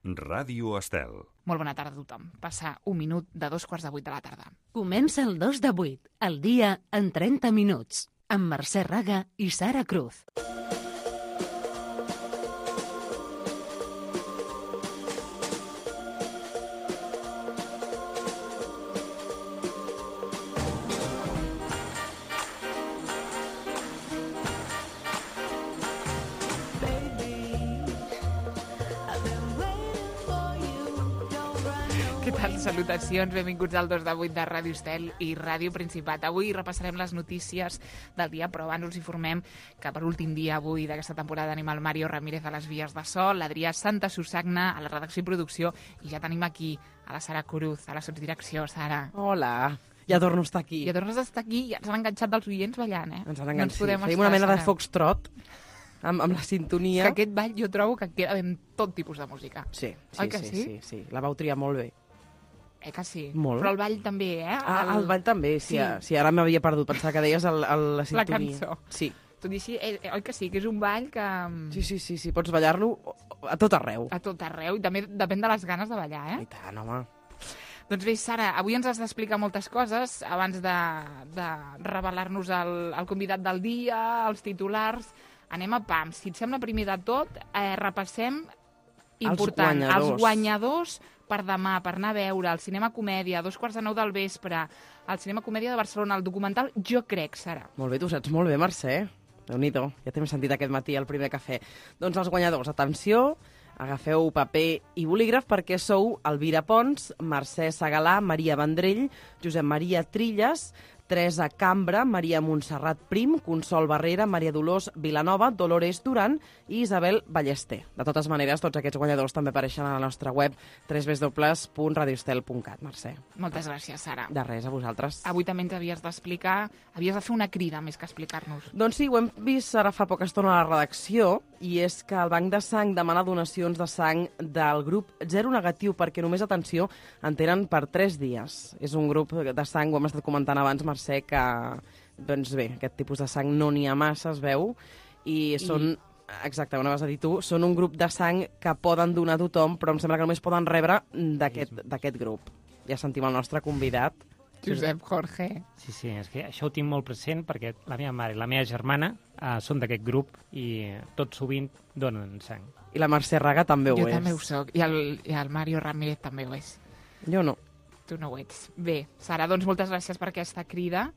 Ràdio Estel. Molt bona tarda a tothom. Passa un minut de 2:15 de la tarda. Comença el 2 de 8, el dia en 30 minuts, amb Mercè Raga i Sara Cruz. Què tal? Salutacions, benvinguts al 2 de 8 de Ràdio Estel i Ràdio Principat. Avui repassarem les notícies del dia, però abans us informem que per últim dia avui d'aquesta temporada tenim el Mario Ramírez a les vies de so, l'Adrià Santa Susagna a la redacció i producció, i ja tenim aquí a la Sara Cruz, a la sotsdirecció. Sara. Hola, ja torno a estar aquí. Ja tornes a estar aquí, ja ens han enganxat dels oients ballant, eh? Ens han enganxat, no sí. Feim una mena de foxtrot amb la sintonia. Que aquest ball jo trobo que queda ben tot tipus de música. Sí, Oi que sí? Sí. La vau triar molt bé. Que sí. Molt. Però el ball també, eh? El ball també, sí. Ara m'havia perdut. Pensava que deies la sintonia. La cançó. Sí. Tot i així, oi que sí, que és un ball que... Sí. Pots ballar-lo a tot arreu. A tot arreu, i també depèn de les ganes de ballar, eh? I tant, home. Doncs bé, Sara, avui ens has d'explicar moltes coses abans de revelar-nos el convidat del dia, els titulars. Anem a pam. Si et sembla, primer de tot, repassem important. Els guanyadors per demà, per anar a veure el Cinema Comèdia a 9:15 del vespre, al Cinema Comèdia de Barcelona, el documental Jo crec, Sara. Molt bé, tu saps molt bé, Mercè. Déu-n'hi-do, ja t'hem sentit aquest matí al primer cafè. Doncs els guanyadors, atenció, agafeu paper i bolígraf perquè sou Elvira Pons, Mercè Segalà, Maria Vendrell, Josep Maria Trilles, Teresa Cambra, Maria Montserrat Prim, Consol Barrera, Maria Dolors Vilanova, Dolores Duran i Isabel Ballester. De totes maneres, tots aquests guanyadors també apareixen a la nostra web www.radioestel.cat, Mercè. Moltes gràcies, Sara. De res, a vosaltres. Avui també ens havies d'explicar, havies de fer una crida més que explicar-nos. Doncs sí, ho hem vist ara fa poca estona a la redacció, i és que el Banc de Sang demana donacions de sang del grup Zero Negatiu, perquè només, atenció, en tenen per 3 dies. És un grup de sang, ho hem estat comentant abans, Mercè, que, doncs bé, aquest tipus de sang no n'hi ha massa, es veu, i són... Exacte, on vas a dir tu, són un grup de sang que poden donar a tothom, però em sembla que només poden rebre d'aquest grup. Ja sentim el nostre convidat. Josep Jorge. Sí, és que això ho tinc molt present perquè la meva mare i la meva germana són d'aquest grup i tot sovint donen sang. I la Mercè Raga també ho és. Jo també ho soc, i el Mario Ramírez també ho és. Jo no. Tu no ho ets. Bé, Sara, doncs moltes gràcies per aquesta crida.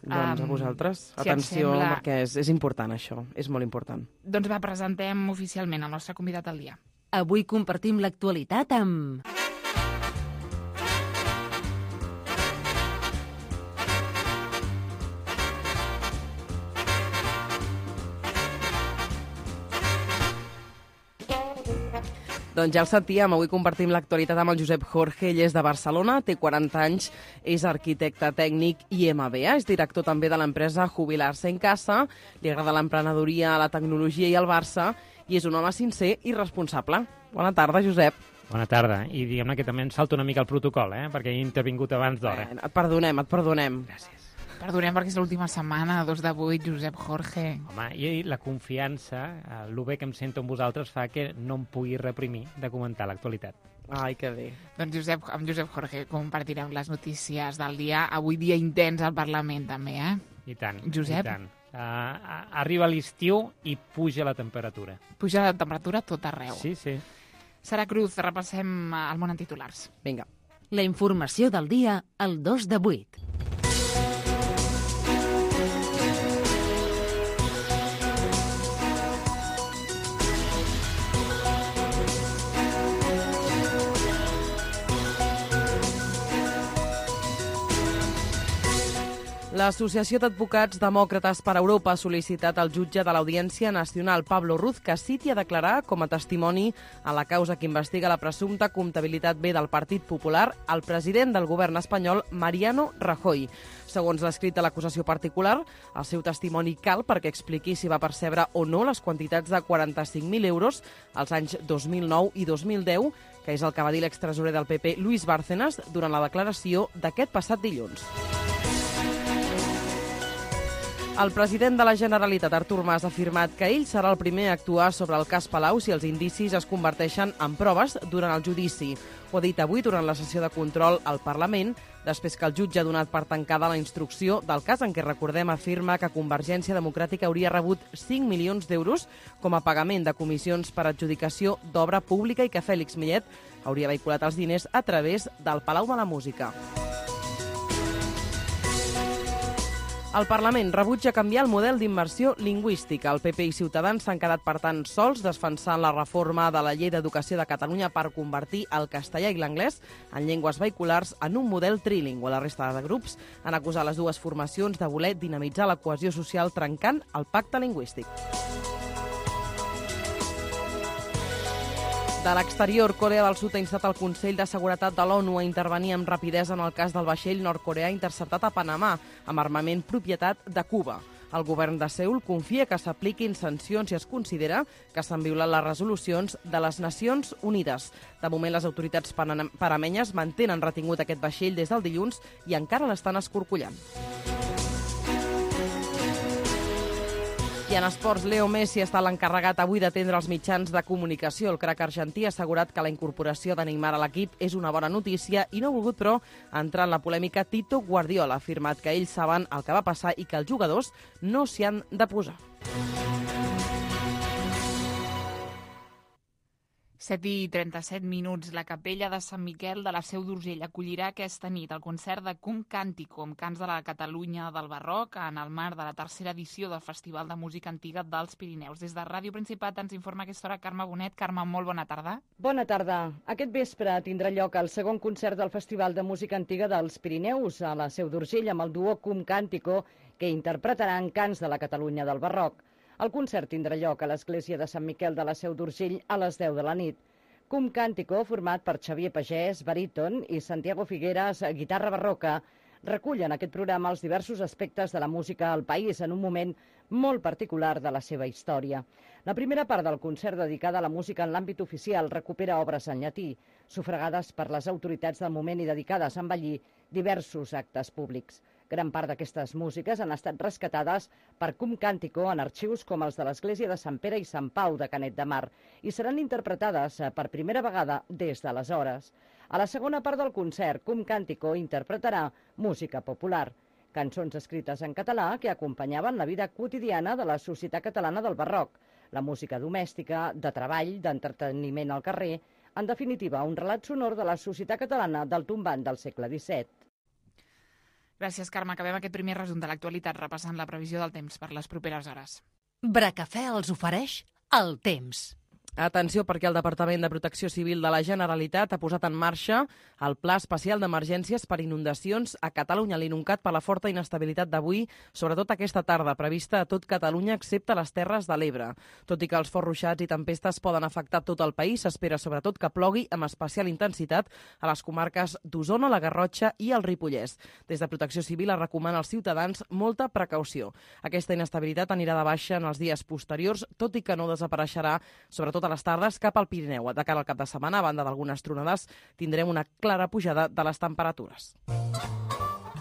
Doncs a vosaltres. Atenció, perquè és important això, és molt important. Doncs va, presentem oficialment el nostre convidat del dia. Avui compartim l'actualitat amb... Doncs ja el sentíem, avui compartim l'actualitat amb el Josep Jorge, ell és de Barcelona, té 40 anys, és arquitecte tècnic i MBA, és director també de l'empresa Jubilar-se en Casa, li agrada l'emprenedoria, la tecnologia i el Barça, i és un home sincer i responsable. Bona tarda, Josep. Bona tarda, i diguem-ne que també em salta una mica el protocol, perquè he intervingut abans d'hora. Et perdonem. Gràcies. Perdonem perquè és l'última setmana, 2 de 8, Josep Jorge. Home, i la confiança, el bé que em sento amb vosaltres fa que no em pugui reprimir de comentar l'actualitat. Ai, que bé. Doncs amb Josep Jorge compartirem les notícies del dia. Avui dia intens al Parlament, també, eh? I tant, Josep? i tant. Arriba l'estiu i puja la temperatura. Puja la temperatura a tot arreu. Sí. Sara Cruz, repassem el món en titulars. Vinga. La informació del dia al 2 de 8. L'Associació d'Advocats Demòcrates per Europa ha sol·licitat al jutge de l'Audiència Nacional, Pablo Ruz, que citi a declarar com a testimoni a la causa que investiga la presumpta comptabilitat B del Partit Popular al president del govern espanyol, Mariano Rajoy. Segons l'escrit de l'acusació particular, el seu testimoni cal perquè expliqui si va percebre o no les quantitats de 45.000 euros als anys 2009 i 2010, que és el que va dir l'extresorer del PP, Luis Bárcenas, durant la declaració d'aquest passat dilluns. El president de la Generalitat, Artur Mas, ha afirmat que ell serà el primer a actuar sobre el cas Palau si els indicis es converteixen en proves durant el judici. Ho ha dit avui durant la sessió de control al Parlament, després que el jutge ha donat per tancada la instrucció del cas en què, recordem, afirma que Convergència Democràtica hauria rebut 5 milions d'euros com a pagament de comissions per adjudicació d'obra pública i que Fèlix Millet hauria vehiculat els diners a través del Palau de la Música. El Parlament rebutja canviar el model d'immersió lingüística. El PP i Ciutadans s'han quedat, per tant, sols defensant la reforma de la Llei d'Educació de Catalunya per convertir el castellà i l'anglès en llengües vehiculars en un model trilingüe. La resta de grups han acusat les dues formacions de voler dinamitzar la cohesió social trencant el pacte lingüístic. De l'exterior, Corea del Sud ha instat el Consell de Seguretat de l'ONU a intervenir amb rapidesa en el cas del vaixell nord-coreà interceptat a Panamà, amb armament propietat de Cuba. El govern de Seül confia que s'apliquin sancions i es considera que s'han violat les resolucions de les Nacions Unides. De moment, les autoritats panamenyes mantenen retingut aquest vaixell des del dilluns i encara l'estan escorcollant. I en esports, Leo Messi està l'encarregat avui d'atendre els mitjans de comunicació. El crac argentí ha assegurat que la incorporació de Neymar a l'equip és una bona notícia i no ha volgut, però, entrar en la polèmica Tito Guardiola. Ha afirmat que ells saben el que va passar i que els jugadors no s'hi han de posar. 7:37. La capella de Sant Miquel de la Seu d'Urgell acollirà aquesta nit el concert de Cum Càntico, amb cants de la Catalunya del Barroc, en el marc de la tercera edició del Festival de Música Antiga dels Pirineus. Des de Ràdio Principat ens informa a aquesta hora Carme Bonet. Carme, molt bona tarda. Bona tarda. Aquest vespre tindrà lloc el segon concert del Festival de Música Antiga dels Pirineus a la Seu d'Urgell amb el duo Cum Càntico, que interpretaran cants de la Catalunya del Barroc. El concert tindrà lloc a l'església de Sant Miquel de la Seu d'Urgell a les 10 de la nit. Cum Càntico, format per Xavier Pagès, baríton, i Santiago Figueras, guitarra barroca, recullen aquest programa els diversos aspectes de la música al país en un moment molt particular de la seva història. La primera part del concert, dedicada a la música en l'àmbit oficial, recupera obres en llatí, sufragades per les autoritats del moment i dedicades a embellir diversos actes públics. Gran part d'aquestes músiques han estat rescatades per Cum Càntico en arxius com els de l'Església de Sant Pere i Sant Pau de Canet de Mar i seran interpretades per primera vegada des d'aleshores. A la segona part del concert, Cum Càntico interpretarà música popular, cançons escrites en català que acompanyaven la vida quotidiana de la societat catalana del Barroc, la música domèstica, de treball, d'entreteniment al carrer, en definitiva, un relat sonor de la societat catalana del tombant del segle XVII. Gràcies, Carme. Acabem aquest primer resum de l'actualitat repassant la previsió del temps per les properes hores. Bracafè els ofereix el temps. Atenció, perquè el Departament de Protecció Civil de la Generalitat ha posat en marxa el Pla Especial d'Emergències per Inundacions a Catalunya, l'INUNCAT, per la forta inestabilitat d'avui, sobretot aquesta tarda, prevista a tot Catalunya excepte les Terres de l'Ebre. Tot i que els forts ruixats i tempestes poden afectar tot el país, s'espera sobretot que plogui amb especial intensitat a les comarques d'Osona, la Garrotxa i el Ripollès. Des de Protecció Civil es recomana als ciutadans molta precaució. Aquesta inestabilitat anirà de baixa en els dies posteriors, tot i que no desapareixerà, sobretot a les tardes, cap al Pirineu. De cara al cap de setmana, a banda d'algunes tronades, tindrem una clara pujada de les temperatures.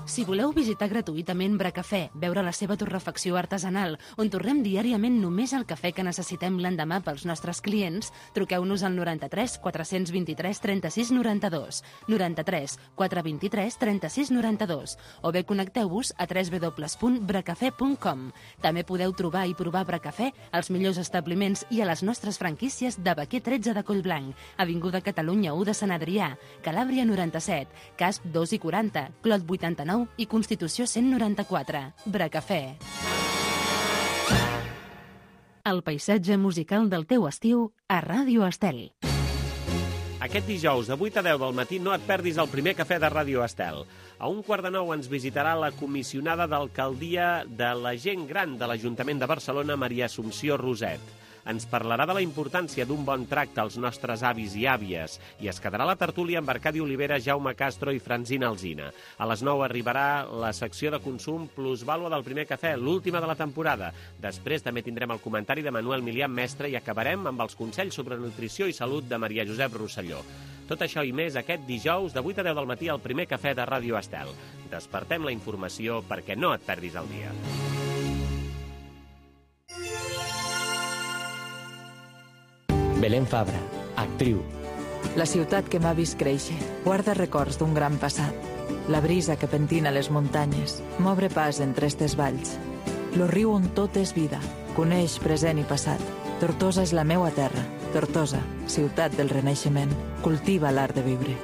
Si voleu visitar gratuïtament Bracafè, veure la seva torrefacció artesanal, on torrem diàriament només el cafè que necessitem l'endemà pels nostres clients, truqueu-nos al 93 423 36 92, 93 423 36 92, o bé connecteu-vos a www.bracafè.com. També podeu trobar i provar Bracafè als millors establiments i a les nostres franquícies de Baquer 13 de Collblanc, Avinguda Catalunya 1 de Sant Adrià, Calàbria 97, Casp 2 i 40, Clot 89 i Constitució 194. Bracafè. El paisatge musical del teu estiu a Ràdio Estel. Aquest dijous, de 8 a 10 del matí, no et perdis el primer cafè de Ràdio Estel. A 8:45 ens visitarà la comissionada d'alcaldia de la gent gran de l'Ajuntament de Barcelona, Maria Assumpció Roset. Ens parlarà de la importància d'un bon tracte als nostres avis i àvies i es quedarà la tertúlia amb Arcadi Olivera, Jaume Castro i Francina Alsina. A les 9 arribarà la secció de consum plusvàlua del primer cafè, l'última de la temporada. Després també tindrem el comentari de Manuel Milian Mestre i acabarem amb els consells sobre nutrició i salut de Maria Josep Rosselló. Tot això i més aquest dijous de 8 a 10 del matí al primer cafè de Ràdio Estel. Despertem la informació perquè no et perdis el dia. Belén Fabra, actriu. La ciutat que m'ha vist créixer guarda records d'un gran passat. La brisa que pentina les muntanyes m'obre pas entre estes valls. Lo riu on tot és vida, coneix present i passat. Tortosa és la meua terra. Tortosa, ciutat del Renaixement, cultiva l'art de viure.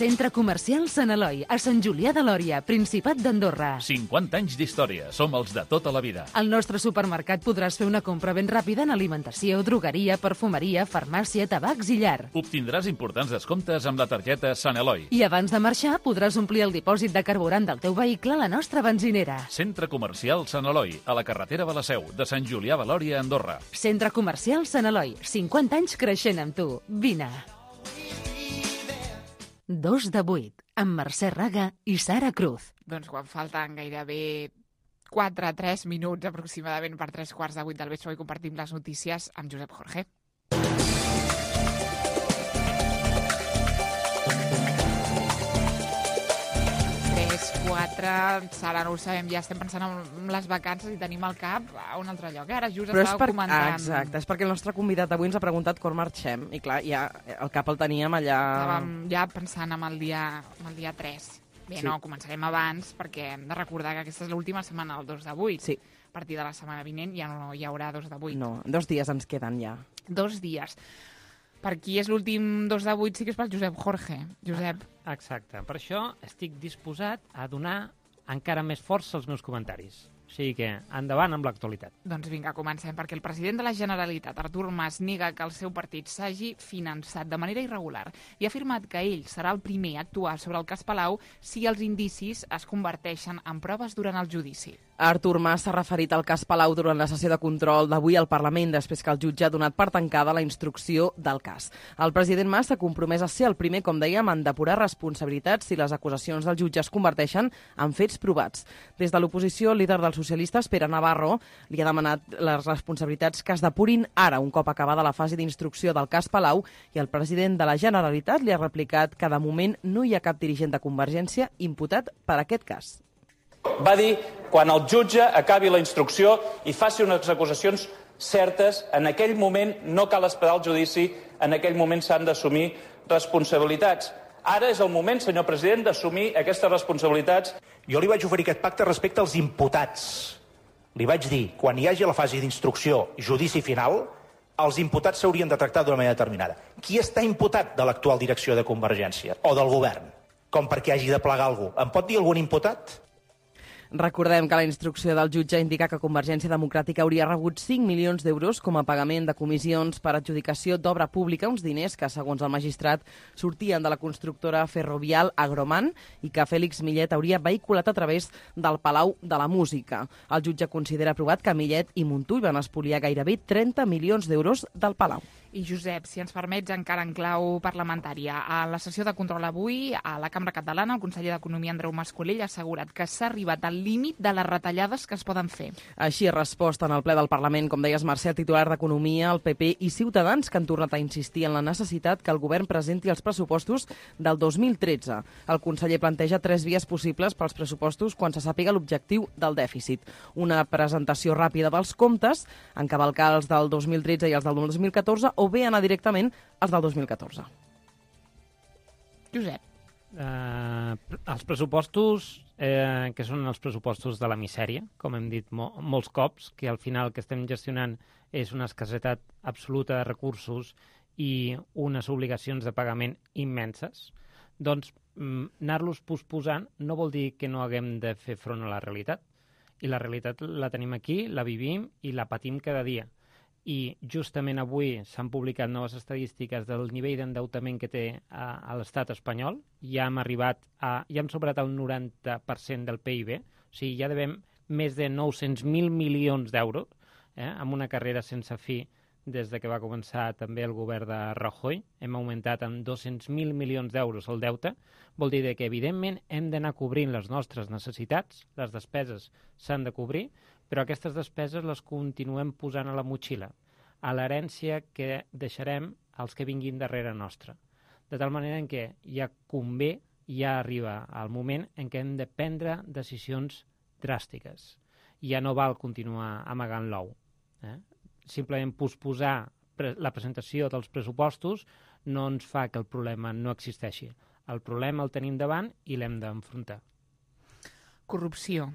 Centre Comercial Sant Eloi, a Sant Julià de Lòria, Principat d'Andorra. 50 anys d'història, som els de tota la vida. Al nostre supermercat podràs fer una compra ben ràpida en alimentació, drogueria, perfumeria, farmàcia, tabacs i llar. Obtindràs importants descomptes amb la targeta Sant Eloi. I abans de marxar podràs omplir el dipòsit de carburant del teu vehicle a la nostra benzinera. Centre Comercial Sant Eloi, a la carretera de la Seu, de Sant Julià de Lòria, Andorra. Centre Comercial Sant Eloi, 50 anys creixent amb tu. Vine. 2 de 8, amb Mercè Raga i Sara Cruz. Doncs quan falten gairebé 4-3 minuts aproximadament per 3:15 del vespre, i compartim les notícies amb Josep Jorge. 4, Sara, no ho sabem, ja estem pensant en les vacances i tenim el cap a un altre lloc. Ara just estàveu comentant... Exacte, és perquè el nostre convidat avui ens ha preguntat quan marxem i clar, ja el cap el teníem allà... Estàvem ja pensant en el dia 3. Bé, sí. No, començarem abans perquè hem de recordar que aquesta és l'última setmana del 2 de 8. Sí. A partir de la setmana vinent ja no hi haurà 2 de 8. No, 2 dies ens queden ja. 2 dies. Per qui és l'últim 2 de 8 sí que és pel Josep Jorge. Josep. Exacte. Per això estic disposat a donar encara més força als meus comentaris. O sigui que endavant amb l'actualitat. Doncs vinga, comencem, perquè el president de la Generalitat, Artur Mas, nega que el seu partit s'hagi finançat de manera irregular i ha afirmat que ell serà el primer a actuar sobre el cas Palau si els indicis es converteixen en proves durant el judici. Artur Mas s'ha referit al cas Palau durant la sessió de control d'avui al Parlament, després que el jutge ha donat per tancada la instrucció del cas. El president Mas s'ha compromès a ser el primer, com dèiem, en depurar responsabilitats si les acusacions del jutge es converteixen en fets provats. Des de l'oposició, el líder dels socialistes, Pere Navarro, li ha demanat les responsabilitats que es depurin ara, un cop acabada la fase d'instrucció del cas Palau, i el president de la Generalitat li ha replicat que de moment no hi ha cap dirigent de Convergència imputat per aquest cas. Va dir, quan el jutge acabi la instrucció i faci unes acusacions certes, en aquell moment no cal esperar el judici, en aquell moment s'han d'assumir responsabilitats. Ara és el moment, senyor president, d'assumir aquestes responsabilitats. Jo li vaig oferir aquest pacte respecte als imputats. Li vaig dir, quan hi hagi la fase d'instrucció i judici final, els imputats s'haurien de tractar d'una manera determinada. Qui està imputat de l'actual direcció de Convergència o del govern? Com perquè hagi de plegar algú. Em pot dir algun imputat? Recordem que la instrucció del jutge indica que Convergència Democràtica hauria rebut 5 milions d'euros com a pagament de comissions per adjudicació d'obra pública, uns diners que, segons el magistrat, sortien de la constructora ferrovial Agroman i que Fèlix Millet hauria vehiculat a través del Palau de la Música. El jutge considera aprovat que Millet i Montull van espoliar gairebé 30 milions d'euros del Palau. I Josep, si ens permets, encara en clau parlamentària. A la sessió de control avui, a la Cambra Catalana, el conseller d'Economia, Andreu Mas-Colell, ha assegurat que s'ha arribat al límit de les retallades que es poden fer. Així ha respost en el ple del Parlament, com deies, Mercè, el titular d'Economia, el PP i Ciutadans, que han tornat a insistir en la necessitat que el govern presenti els pressupostos del 2013. El conseller planteja 3 vies possibles pels pressupostos quan se sàpiga l'objectiu del dèficit. Una presentació ràpida dels comptes, encavalcar els del 2013 i els del 2014, o bé anar directament als del 2014. Josep. Els pressupostos, que són els pressupostos de la misèria, com hem dit molts cops, que al final el que estem gestionant és una escassetat absoluta de recursos i unes obligacions de pagament immenses, doncs anar-los posposant no vol dir que no haguem de fer front a la realitat. I la realitat la tenim aquí, la vivim i la patim cada dia. I justament avui s'han publicat noves estadístiques del nivell d'endeutament que té a l'estat espanyol. Ja hem superat el 90% del PIB, o sigui, ja devem més de 900.000 milions d'euros, amb una carrera sense fi des de que va començar també el govern de Rajoy. Hem augmentat en 200.000 milions d'euros el deute. Vol dir que, evidentment, hem d'anar cobrint les nostres necessitats, les despeses s'han de cobrir, però aquestes despeses les continuem posant a la motxilla, a l'herència que deixarem als que vinguin darrere nostra. De tal manera en què ja arriba el moment en què hem de prendre decisions dràstiques. Ja no val continuar amagant l'ou. simplement posposar la presentació dels pressupostos no ens fa que el problema no existeixi. El problema el tenim davant i l'hem d'enfrontar. Corrupció,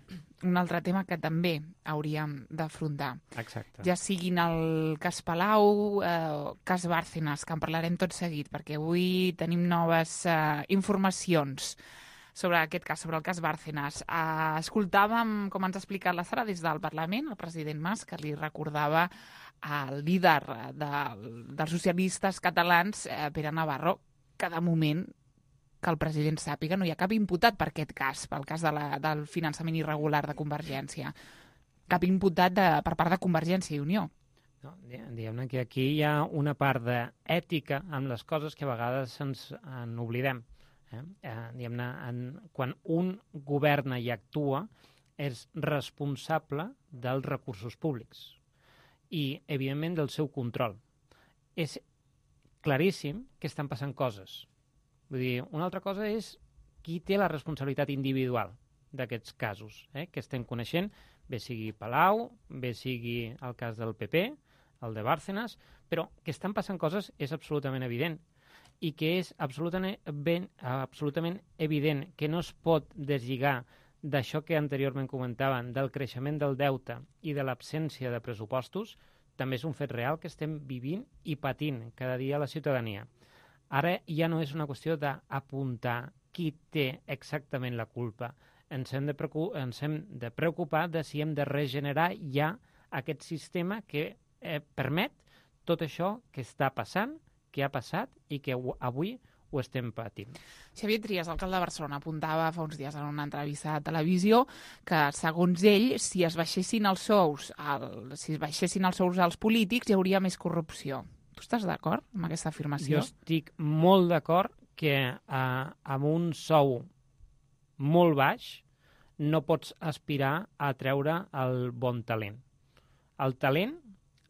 un altre tema que també hauríem d'afrontar. Exacte. Ja siguin el cas Palau, cas Bárcenas, que en parlarem tot seguit, perquè avui tenim noves informacions sobre aquest cas, sobre el cas Bárcenas. Escoltàvem, com ens ha explicat la Sara, des del Parlament, el president Mas, que li recordava al líder dels socialistes catalans, Pere Navarro, que de moment, que el president sàpiga, no hi ha cap imputat per aquest cas, pel cas del finançament irregular de Convergència. Cap imputat per part de Convergència i Unió. No, diguem-ne que aquí hi ha una part d'ètica amb les coses que a vegades ens oblidem. Diguem-ne, quan un governa i actua, és responsable dels recursos públics i, evidentment, del seu control. És claríssim que estan passant coses. Vull dir, una altra cosa és qui té la responsabilitat individual d'aquests casos, que estem coneixent, bé sigui Palau, bé sigui el cas del PP, el de Bárcenas, però que estan passant coses és absolutament evident i que és absolutament evident que no es pot deslligar d'això que anteriorment comentaven, del creixement del deute i de l'absència de pressupostos, també és un fet real que estem vivint i patint cada dia la ciutadania. Ara ja no és una qüestió d'apuntar qui té exactament la culpa. Ens hem de preocupar de si hem de regenerar ja aquest sistema que permet tot això que està passant, que ha passat i que avui ho estem patint. Xavier Trias, alcalde de Barcelona, apuntava fa uns dies en una entrevista de televisió que, segons ell, si es baixessin els sous als polítics, hi hauria més corrupció. Tu estàs d'acord amb aquesta afirmació? Jo estic molt d'acord que amb un sou molt baix no pots aspirar a treure el bon talent. El talent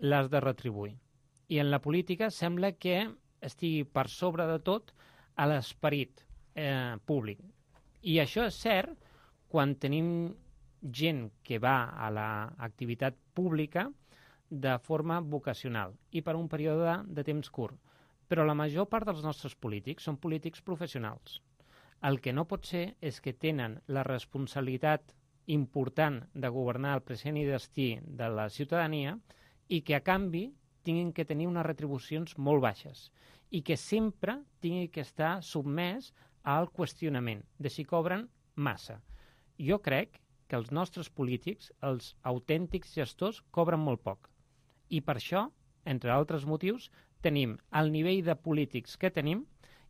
l'has de retribuir. I en la política sembla que estigui per sobre de tot a l'esperit públic. I això és cert quan tenim gent que va a l'activitat pública de forma vocacional i per un període de temps curt. Però la major part dels nostres polítics són polítics professionals. El que no pot ser és que tenen la responsabilitat important de governar el present i destí de la ciutadania i que, a canvi, tinguin que tenir unes retribucions molt baixes i que sempre tinguin que estar sotmès al qüestionament de si cobren massa. Jo crec que els nostres polítics, els autèntics gestors, cobren molt poc. I per això, entre altres motius, tenim el nivell de polítics que tenim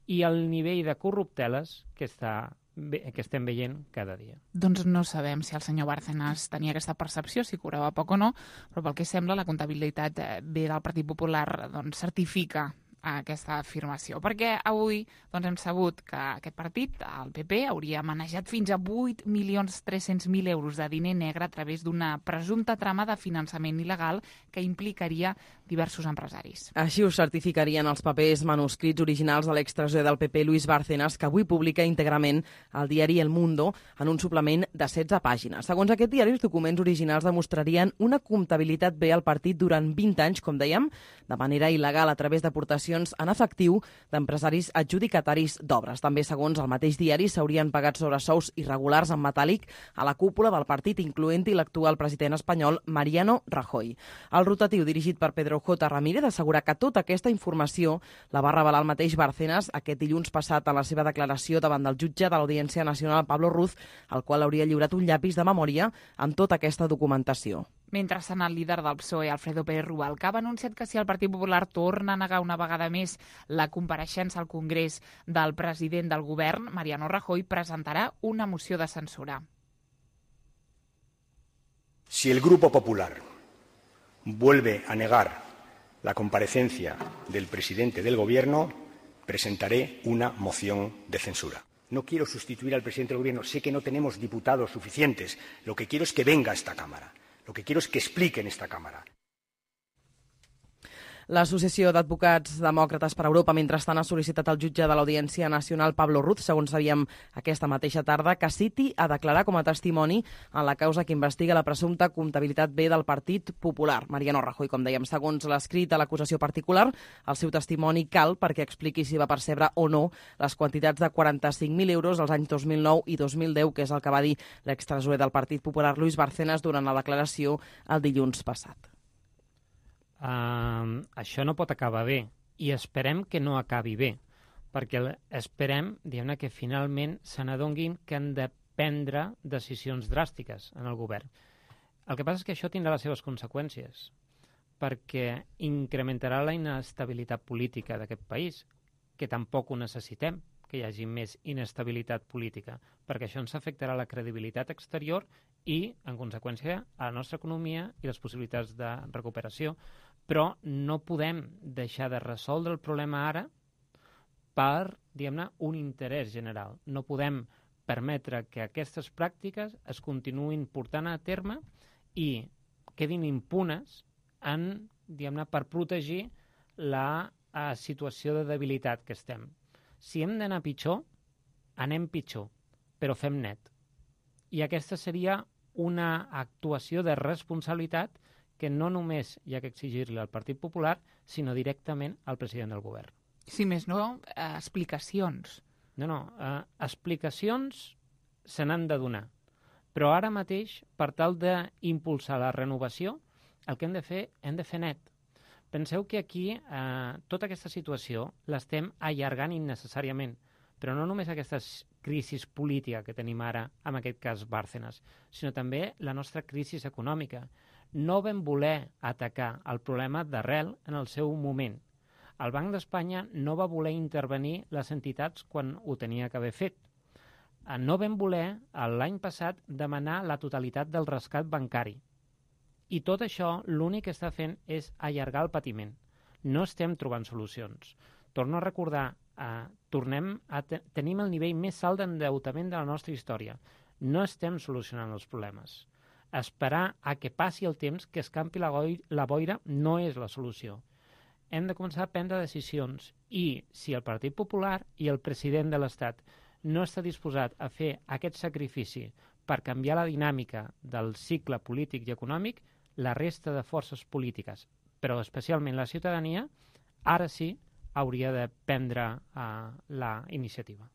i el nivell de corrupteles que estem veient cada dia. Doncs no sabem si el senyor Bárcenas tenia aquesta percepció, si cobrava poc o no, però pel que sembla la comptabilitat B del Partit Popular certifica aquesta afirmació, perquè avui hem sabut que aquest partit, el PP, hauria manejat fins a 8.300.000 euros de diner negre a través d'una presumpta trama de finançament il·legal que implicaria diversos empresaris. Així ho certificarien els papers manuscrits originals de l'extresorer del PP, Luis Bárcenas, que avui publica íntegrament al diari El Mundo en un suplement de 16 pàgines. Segons aquest diari, els documents originals demostrarien una comptabilitat B al partit durant 20 anys, com dèiem, de manera il·legal a través d'aportacions en efectiu d'empresaris adjudicataris d'obres. També, segons el mateix diari, s'haurien pagat sobresous irregulars en metàl·lic a la cúpula del partit, incloent-hi l'actual president espanyol Mariano Rajoy. El rotatiu dirigit per Pedro J. Ramírez assegura que tota aquesta informació la va revelar el mateix Bárcenas aquest dilluns passat en la seva declaració davant del jutge de l'Audiència Nacional, Pablo Ruz, al qual hauria lliurat un llapis de memòria amb tota aquesta documentació. Mentrestant, el líder del PSOE, Alfredo Pérez Rubalcaba, ha anunciat que si el Partit Popular torna a negar una vegada més la compareixença al Congrés del president del govern, Mariano Rajoy, presentarà una moció de censura. Si el Grupo Popular vuelve a negar la comparecencia del presidente del Gobierno, presentaré una moción de censura. No quiero sustituir al presidente del Gobierno, sé que no tenemos diputados suficientes, lo que quiero es que venga a esta Cámara. Lo que quiero es que explique en esta Cámara. L'Associació d'Advocats Demòcrates per Europa, mentrestant, ha sol·licitat al jutge de l'Audiència Nacional, Pablo Ruz, segons sabíem aquesta mateixa tarda, que citi a declarar com a testimoni en la causa que investiga la presumpta comptabilitat B del Partit Popular. Mariano Rajoy, com dèiem, segons l'escrit de l'acusació particular, el seu testimoni cal perquè expliqui si va percebre o no les quantitats de 45.000 euros als anys 2009 i 2010, que és el que va dir l'extresorer del Partit Popular, Luis Bárcenas, durant la declaració el dilluns passat. Això no pot acabar bé, i esperem que no acabi bé, perquè esperem, diguem-ne, que finalment se n'adonguin que han de prendre decisions dràstiques en el govern. El que passa és que això tindrà les seves conseqüències, perquè incrementarà la inestabilitat política d'aquest país, que tampoc ho necessitem, que hi hagi més inestabilitat política, perquè això ens afectarà la credibilitat exterior i, en conseqüència, a la nostra economia i les possibilitats de recuperació. Però no podem deixar de resoldre el problema ara per, diguem-ne, un interès general. No podem permetre que aquestes pràctiques es continuïn portant a terme i quedin impunes diguem-ne, per protegir la situació de debilitat que estem. Si hem d'anar pitjor, anem pitjor, però fem net. I aquesta seria una actuació de responsabilitat que no només hi ha que exigir-li al Partit Popular, sinó directament al president del govern. Si més no, explicacions. No, explicacions se n'han de donar. Però ara mateix, per tal d'impulsar la renovació, el que hem de fer net. Penseu que aquí tota aquesta situació l'estem allargant innecessàriament, però no només aquesta crisi política que tenim ara, en aquest cas Bárcenas, sinó també la nostra crisi econòmica. No vam voler atacar el problema d'arrel en el seu moment. El Banc d'Espanya no va voler intervenir les entitats quan ho tenia que haver fet. No vam voler, l'any passat, demanar la totalitat del rescat bancari. I tot això l'únic que està fent és allargar el patiment. No estem trobant solucions. Torno a recordar, tenim el nivell més alt d'endeutament de la nostra història. No estem solucionant els problemes. Esperar a que passi el temps, que escampi la boira, no és la solució. Hem de començar a prendre decisions i si el Partit Popular i el president de l'Estat no està disposat a fer aquest sacrifici per canviar la dinàmica del cicle polític i econòmic, la resta de forces polítiques, però especialment la ciutadania, ara sí hauria de prendre la iniciativa.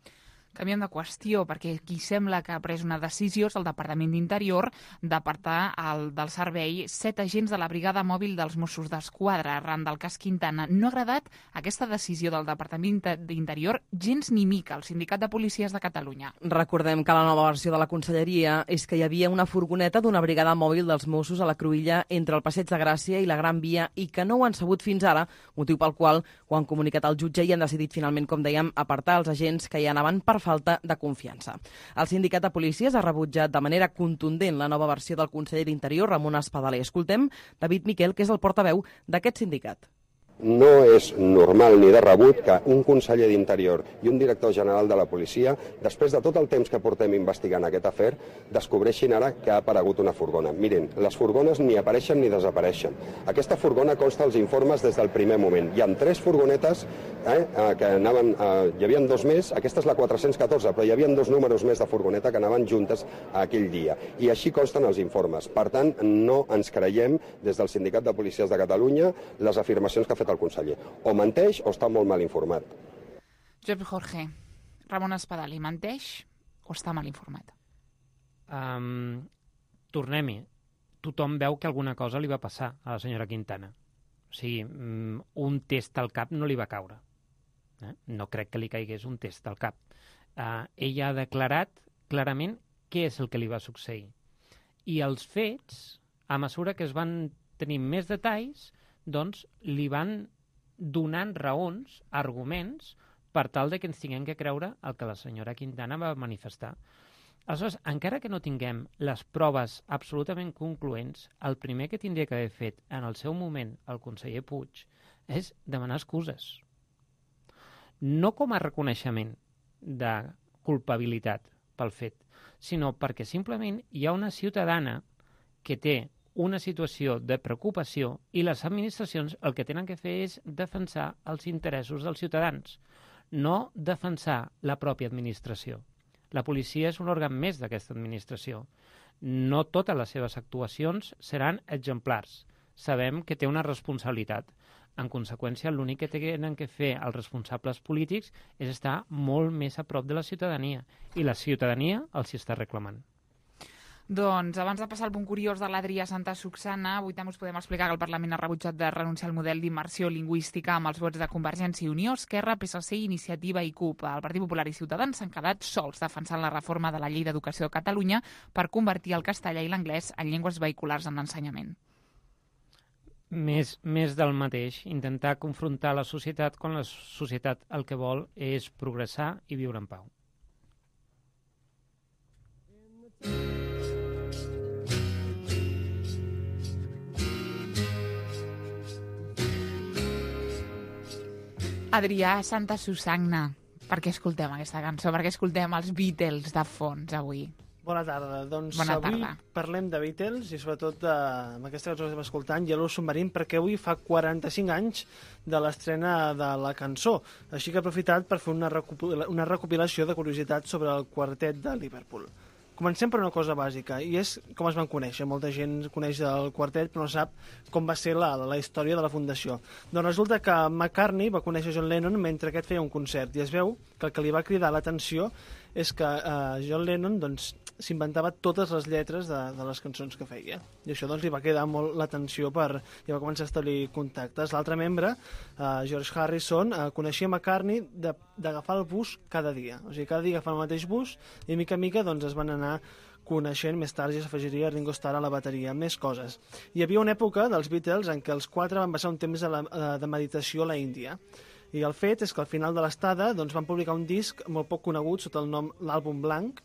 Canviem de qüestió, perquè qui sembla que ha pres una decisió és el Departament d'Interior d'apartar del servei 7 agents de la brigada mòbil dels Mossos d'Esquadra arran del cas Quintana. No ha agradat aquesta decisió del Departament d'Interior gens ni mica al Sindicat de Policies de Catalunya. Recordem que la nova versió de la Conselleria és que hi havia una furgoneta d'una brigada mòbil dels Mossos a la Cruïlla entre el Passeig de Gràcia i la Gran Via i que no ho han sabut fins ara, motiu pel qual ho han comunicat al jutge i han decidit finalment, com dèiem, apartar els agents que hi anaven per falta de confiança. El sindicat de policies ha rebutjat de manera contundent la nova versió del conseller d'Interior, Ramon Espadaler. Escoltem David Miquel, que és el portaveu d'aquest sindicat. No és normal ni de rebut que un conseller d'Interior i un director general de la policia, després de tot el temps que portem investigant aquest afer, descobreixin ara que ha aparegut una furgona. Miren, les furgones ni apareixen ni desapareixen. Aquesta furgona consta als informes des del primer moment. Hi ha 3 furgonetes que anaven... hi havia 2 més, aquesta és la 414, però hi havia 2 números més de furgoneta que anaven juntes aquell dia. I així consten els informes. Per tant, no ens creiem des del Sindicat de Policies de Catalunya les afirmacions que ha fet el conseller. O menteix o està molt mal informat. Josep Jorge, Ramon Espadaler, menteix o està mal informat? Tornem-hi. Tothom veu que alguna cosa li va passar a la senyora Quintana. O sigui, un test al cap no li va caure. No crec que li caigués un test al cap. Ella ha declarat clarament què és el que li va succeir. I els fets, a mesura que es van tenir més detalls, doncs li van donant raons, arguments, per tal de que ens tinguem que creure el que la senyora Quintana va manifestar. Aleshores, encara que no tinguem les proves absolutament concloents, el primer que tindria que haver fet en el seu moment el conseller Puig és demanar excuses. No com a reconeixement de culpabilitat pel fet, sinó perquè simplement hi ha una ciutadana que té una situació de preocupació i les administracions el que tenen que fer és defensar els interessos dels ciutadans, no defensar la pròpia administració. La policia és un òrgan més d'aquesta administració. No totes les seves actuacions seran exemplars. Sabem que té una responsabilitat. En conseqüència, l'únic que tenen que fer els responsables polítics és estar molt més a prop de la ciutadania, i la ciutadania els hi està reclamant. Doncs, abans de passar al punt curiós de l'Adrià Santa Susanna, avui també us podem explicar que el Parlament ha rebutjat de renunciar al model d'immersió lingüística amb els vots de Convergència i Unió, Esquerra, PSC, Iniciativa i CUP. El Partit Popular i Ciutadans s'han quedat sols defensant la reforma de la Llei d'Educació de Catalunya per convertir el castellà i l'anglès en llengües vehiculars en l'ensenyament. Més del mateix, intentar confrontar la societat quan la societat el que vol és progressar i viure en pau. Adrià Santa Susanna, per què escoltem aquesta cançó? Per què escoltem els Beatles de fons avui? Bona tarda. Doncs Bona avui tarda. parlem de Beatles i sobretot amb aquesta cançó que estem escoltant, Yellow Submarine, perquè avui fa 45 anys de l'estrena de la cançó. Així que he aprofitat per fer una recopilació de curiositats sobre el quartet de Liverpool. Comencem per una cosa bàsica, i és com es van conèixer. Molta gent coneix el quartet, però no sap com va ser la història de la fundació. Doncs resulta que McCartney va conèixer John Lennon mentre aquest feia un concert, i es veu que el que li va cridar l'atenció és que John Lennon s'inventava totes les lletres de les cançons que feia. I això li va cridar molt l'atenció i va començar a establir contactes. L'altre membre, George Harrison, coneixia McCartney d'agafar el bus cada dia. O sigui, cada dia agafava el mateix bus i mica en mica es van anar coneixent. Més tard ja s'afegiria Ringo Starr a la bateria, més coses. Hi havia una època dels Beatles en què els quatre van passar un temps de meditació a la Índia. I el fet és que al final de l'estada van publicar un disc molt poc conegut sota el nom l'àlbum blanc,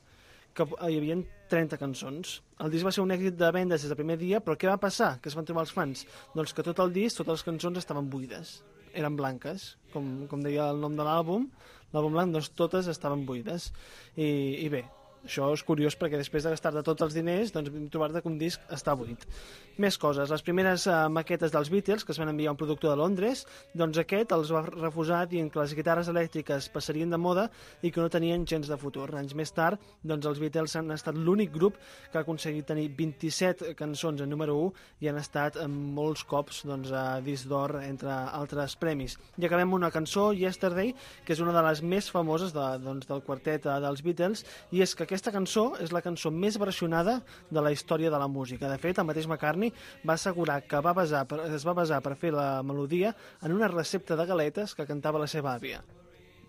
que hi havia 30 cançons. El disc va ser un èxit de vendes des del primer dia, però què va passar? Què es van trobar els fans? Doncs que tot el disc, totes les cançons estaven buides. Eren blanques, com deia el nom de l'àlbum blanc, doncs totes estaven buides. I bé, això és curiós perquè després de gastar-te tots els diners, vam trobar-te que un disc està buit. Més coses. Les primeres maquetes dels Beatles que es van enviar a un productor de Londres, doncs aquest els va refusar dient que les guitarres elèctriques passarien de moda i que no tenien gens de futur. Anys més tard, doncs els Beatles han estat l'únic grup que ha aconseguit tenir 27 cançons en número 1 i han estat molts cops a disc d'or, entre altres premis. I acabem amb una cançó, Yesterday, que és una de les més famoses del quartet dels Beatles, i és que aquesta cançó és la cançó més versionada de la història de la música. De fet, el mateix McCartney va assegurar que es va basar per fer la melodia en una recepta de galetes que cantava la seva àvia.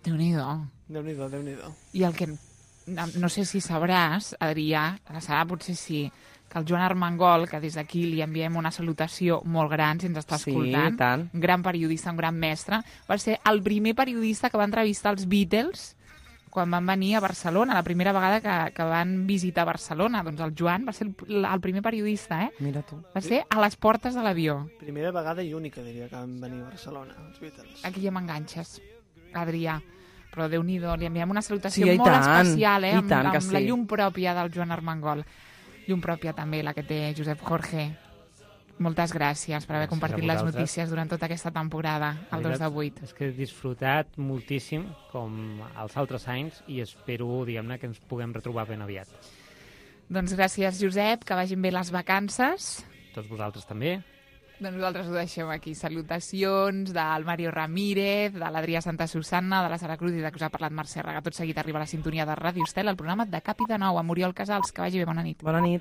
Déu-n'hi-do. Déu-n'hi-do. I el que no sé si sabràs, Adrià, la Sara potser sí, que el Joan Armengol, que des d'aquí li enviem una salutació molt gran, si ens està escoltant, sí, tant. Un gran periodista, un gran mestre, va ser el primer periodista que va entrevistar els Beatles quan van venir a Barcelona, la primera vegada que van visitar Barcelona. Doncs el Joan va ser el primer periodista, Mira tu. Va ser a les portes de l'avió. Primera vegada i única, diria, que van venir a Barcelona, els Beatles. Aquí ja m'enganxes, Adrià. Però Déu-n'hi-do, li enviem una salutació sí, molt tant, especial, amb sí. la llum pròpia del Joan Armengol. Llum pròpia també, la que té Josep Jorge. Moltes gràcies per haver compartit les notícies durant tota aquesta temporada, el 2 de 8. És que he disfrutat moltíssim, com els altres anys, i espero, diguem-ne, que ens puguem retrobar ben aviat. Doncs gràcies, Josep, que vagin bé les vacances. Tots vosaltres també. Doncs nosaltres ho deixem aquí. Salutacions del Mario Ramírez, de l'Adrià Santa Susanna, de la Sara Cruz i de que us ha parlat Mercè Raga. Tot seguit arriba a la sintonia de Ràdio Estel, el programa de Cap i de Nou, amb Oriol Casals. Que vagi bé, bona nit. Bona nit.